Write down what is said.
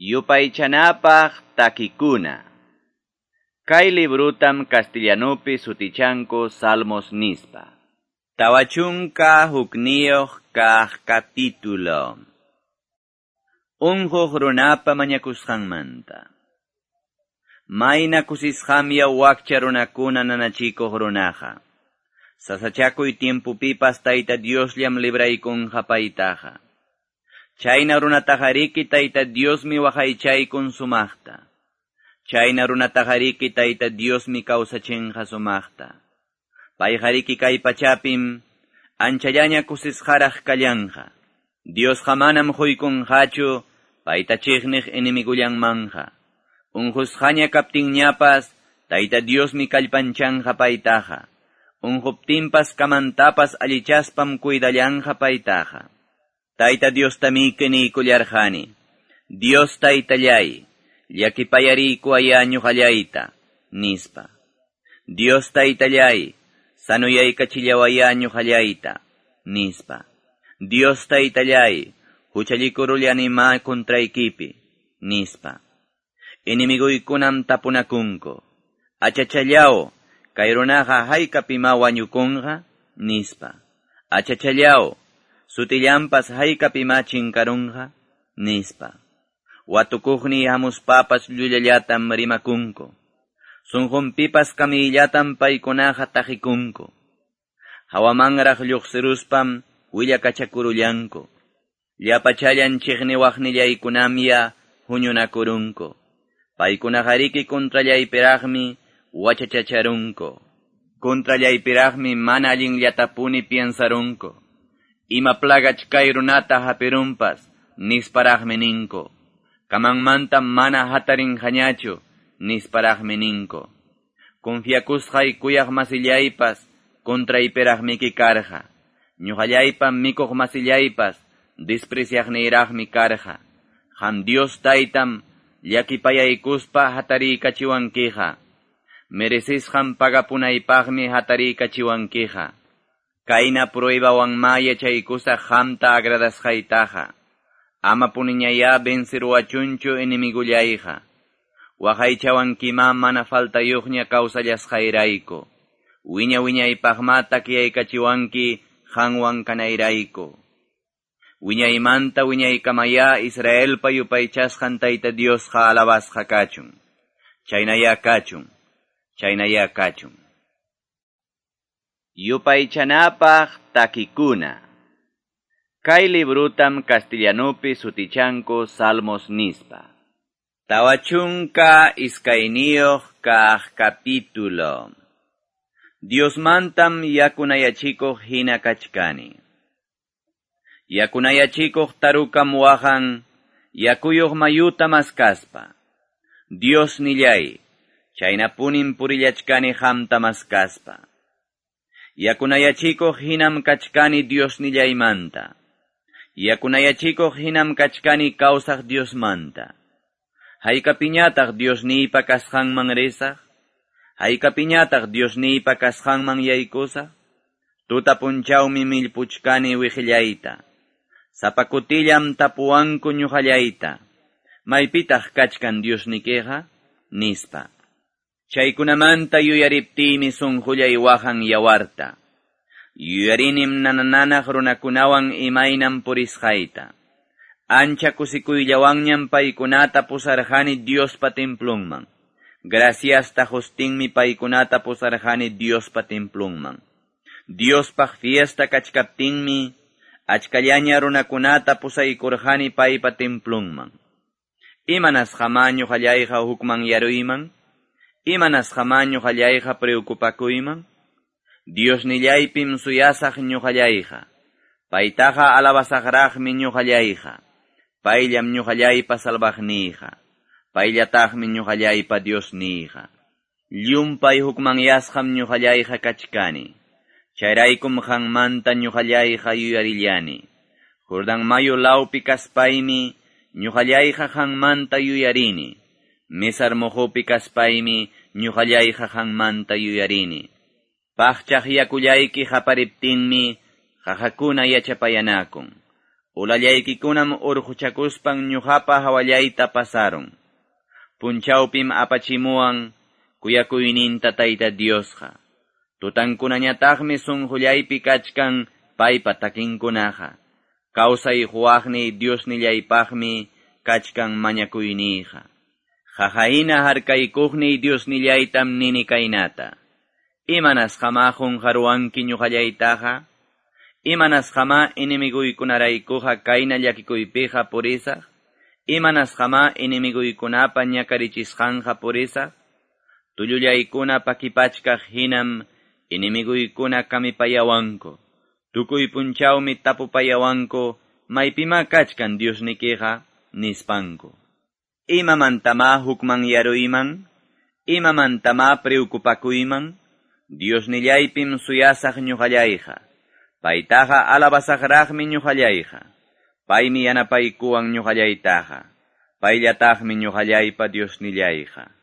Yupaychanapaq takikuna. Kay librutam castellanupi sutichanku Salmos nispa. 41 kaq capítulo. Unquq runapa mañakusqanmanta. Mayna kusisqamya wakcha runakuna nanachikuq runaqa. Sasachakuy tiempopipas Tayta Diosllam libraykunqa paytaqa. Chayna runataqariki Tayta Diosmi waqaychaykun sumaqta. Chayna runataqariki Tayta Diosmi kawsachinqa sumaqta. Payqariki kay pachapim anchallaña kusisqaraq kallanqa. Diosqa manam quykunqachu payta chiqniq enemigullanmanja. Unqusqaña kaptinñapas Tayta Diosmi kallpanchanqa paytaqa. Unquptinpas kamantapas allichaspam cuidallanqa paytaqa. Tayta Diostamiki niykullarqani. Dios Taytallay, llakipayariykuwaya ñuqallayta, nispa. Dios Taytallay, sanuyaykachillawaya ñuqallayta, nispa. Dios Taytallay, huchallikurullanima contraykipi, nispa. Enemiguykunam tapunakunku. Achachallaw, kay runaqa haykapima wañukunqa, nispa. Achachallaw, sutillampas haykapima chinkarunqa, nispa. Watukuqni hamuspapas llullallatam rimakunku. Sunqunpipas kamillatam paykunaqa taqikunku. Hawamanraq lluqsiruspam willakachakurullanku. Llapachallan chiqniwaqnillaykunamya huñunakurunku. Paykunaqariki contrallaypiraqmi wachachacharunku. Contrallaypiraqmi mana allinllatapuni piensarunku. Ima plagach kay runata hapirunpas, nisparaqmi ninku. Kamanmanta mana hatarinqañachu, nisparaqmi ninku. Confiakusqay kuyaq masillaypas, contraypiraqmiki karqa. Ñuqallaypa mikuq masillaypas, despreciaqniyraqmi karqa. Qam Dios Taytam, llakipayaykuspa hatariykachiwankiqa. Merecisqan pagapunaypaqmi hatariykachiwankiqa. Kayna pruebawanma yachaykusaq qamta agradasqaytaqa. Ama puniñaya venceruwachunchu enemigullayqa. Waqaychawankima mana faltayuqña kawsallasqayrayku. Wiña wiñaypaqma takyaykachiwanki qanwan kanayrayku. Wiñaymanta wiñaykamaya Israelpa yupaychasqan Tayta Diosqa alabasqa kachun. Chaynaya kachun. Chaynaya kachun. Yupaychanapaq takikuna. Kay librutam castellanupi sutichanku Salmos nispa. 42 kaq capítulo. Diosmantam yakunayachikuq hina kachkani. Yakunayachikuq tarukam waqan, yakuyuq mayuta maskaspa. Dios nillay, chaynapunim purillachkani qamta maskaspa. Yakunayachikuq hinam kachkani Dios nillaymanta. Yakunayachikuq hinam kachkani kawsaq Diosmanta. Haykapiñataq Diosniypa kasqanman risaq? Haykapiñataq Diosniypa kasqanman yaykusaq? Tuta punchawmi millpuchkani wiqillayta. Sapa kutillam tapuwanku ñuqallayta. Maypitaq kachkan Diosnikiqa? Nispa. Chaykunamanta yuyariptiymi sunqullay waqan yawarta. Yuyarinim nanananaq runakunawan imaynam purisqayta. Ancha kusikuyllawanñam paykunata pusarqani Diospa templunman. Graciasta hustinmi paykunata pusarqani Diospa templunman. Diospaq fiesta kachkaptinmi achkallaña runakunata pusaykurqani paypa templunman. Imanasqama ñuqallayqa hukmanyaruyman? Imanasqama ñuqallayqa preocupakuyman? Diosnillaypim suyasaq ñuqallayqa. Paytaqa alabasaqraqmi ñuqallayqa. Payllam ñuqallaypa salvaqniyqa. Payllataqmi ñuqallaypa Diosniyqa. Llumpay hukmanyasqam ñuqallayqa kachkani. Chayraykum qanmanta ñuqallayqa yuyarillani. Jordán mayu lawpi kaspaymi ñuqallayqa qanmanta yuyarini. Mesar muhupi kaspaymi ñuqallayqa qanmanta yuyarini. Paqchaq yakullayki qapariptinmi qaqakuna yachapayanakun. Ulallaykikunam urquchakuspan ñuqapa hawallayta pasarun. Punchawpim apachimuwan kuyakuyninta Tayta Diosqa. Tutankunañataqmi sunqullaypi kachkan paypa takinkunaqa. Kawsay huwaqniy Diosnillaypaqmi kachkan mañakuyniyqa. Qaqahina harkaykuqniy Diosnillaytam nini kaynata. Imanasqamá qunqaruwanki ñuqallaytaqa? Imanasqamá enemiguykunaraykuqa kayna llakikuypiqa purisaq? Imanasqamá enemiguykunapa ñakarichisqanqa purisaq? Tullullaykuna pakipachkaq hinam enemiguykuna kamipayawanku. Tukuy punchawmi tapupayawanku maypimá kachkan Diosnikiqa nispanku. Imamantamá hukmanyaruyman? Imamantamá preocupakuyman? Diosnillaypim suyasaq ñuqallayqa. Paytaqa alabasaqraqmi ñuqallayqa. Paymi yanapaykuwan ñuqallaytaqa. Payllataqmi ñuqallaypa Diosnillayqa.